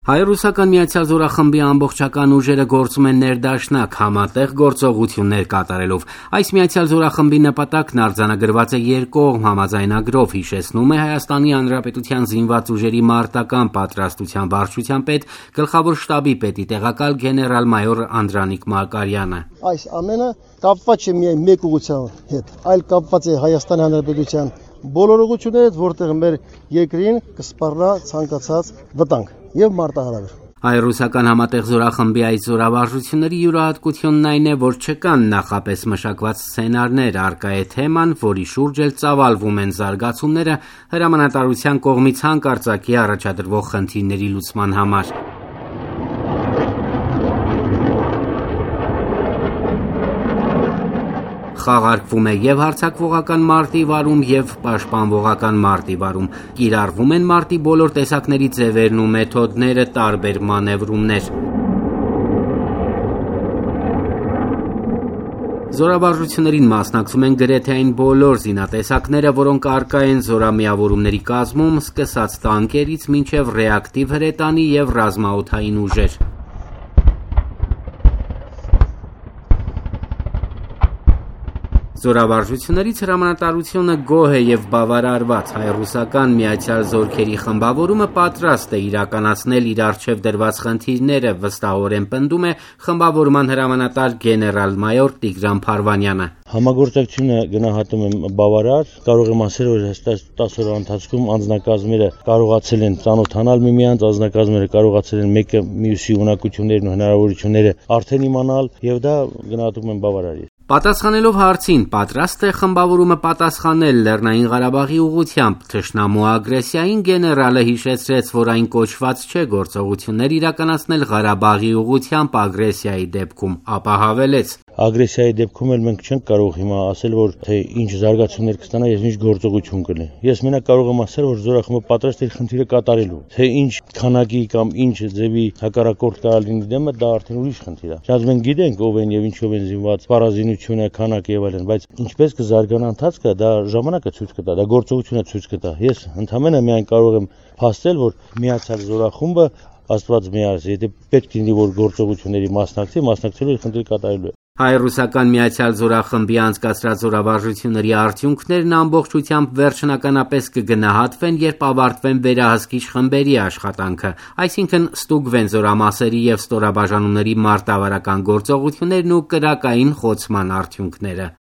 Հայ-ռուսական Միացյալ զորախմբի ամբողջական ուժերը գործում են ներդաշնակ համատեղ գործողություններ կատարելով։ Այս Միացյալ զորախմբի նպատակն արձանագրված է երկկողմ համաձայնագրով, հիշեցնում է Հայաստանի Հանրապետության զինված ուժերի մարտական պատրաստության վարչության պետ, գլխավոր շտաբի պետի տեղակալ գեներալ-մայոր Անդրանիկ Մարկարյանը։ Այս ամենը կապված չէ միայն մեկ ուղղության հետ, այլ կապված է Հայաստանի Հանրապետության բոլոր ուղղություններով, որտեղ մեր երկրին կսպառնա ցանկացած վտանգ եւ մարտահրավեր։ Հայ-ռուսական համատեղ զորախմբի այս զորավարժությունների յուրահատկությունն այն է, որ չկան նախապես մշակված սցենարներ, առկա է թեման, որի շուրջ էլ ծավալվում են զարգացումները հրամանատարության կողմից հանկարծակի առաջադրվող խնդիրների լուծման համար։ Խաղարկվում է եւ հարձակվողական մարտի վարում եւ պաշտպանվողական մարտի վարում, կիրառվում են մարտի բոլոր տեսակների ձևերն ու մեթոդները, տարբեր մանևրումներ։ Զորավարժություններին մասնակցում են գրեթե այն բոլոր զինատեսակները, որոնք առկա են զորամիավորումների կազմում, սկսած տանկերից մինչև ռեակտիվ հրետանի եւ ռազմաօդային ուժեր։ Զորավարժություններից հրամանատարությունը գոհ է եւ բավարարված։ Հայ-ռուսական Միացյալ զորքերի խմբավորումը պատրաստ է իրականացնել իր առջև դրված խնդիրները, վստահորեն պնդում է խմբավորման հրամանատար գեներալ-մայոր Տիգրան Փարվանյանը։ Համագործակցությունը գնահատում եմ բավարար, կարող եմ ասել, որ հստակ 10 օրվա ընթացքում անձնակազմերը կարողացել են ծանոթանալ միմյանց, անձնակազմերը կարողացել են մեկը մյուսի ունակություններն ու հնարավորությունները արդեն իմանալ եւ դա գնահատում եմ բավարար։ Պատասխանելով հարցին, պատրաստ է խմբավորումը պատասխանել Լեռնային Ղարաբաղի ուղղությամբ թշնամու ագրեսիային, գեներալը հիշեցրեց, որ այն կոչված չէ գործողություններ իրականացնել Ղարաբաղի ուղղությամբ ագրեսիայի դեպքում, ապա հավելեց. Ագրեսիայի դեպքում էլ մենք չենք կարող հիմա ասել, որ թե ինչ զարգացումներ կստանա եւ ինչ գործողություն կլինի։ Ես մենակ կարող եմ ասել, որ զորախմբը պատրաստ է խնդիրը կատարելու։ Թե ինչ քանակի կամ ինչ ձևի հակառակորդ կարող լինի դեմը, դա արդեն ուրիշ խնդիր է։ Շատ մենք գիտենք ով են եւ ինչով են զինված, պարազինությունը, քանակը եւ այլն, բայց ինչպես կզարգանա ընթացքը, դա ժամանակը ցույց կտա, դա գործողությունը ցույց կտա։ Ես ընդհանրապես միայն կարող եմ փաստել, որ Միացյալ զորախումբը Աստված միարս, եթե պետք լինի որ գործողությունների մասնակցելու խնդիր կատարելու է։ Հայ-ռուսական Միացյալ զորախմբի անցկացրած զորավարժությունների արդյունքներն ամբողջությամբ վերջնականապես կգնահատվեն, երբ ավարտվեն վերահսկիչ խմբերի աշխատանքը, այսինքն ստուգվեն զորամասերի եւ ստորաբաժանումների մարտավարական գործողություններն ու կրակային խոցման արդյունքները։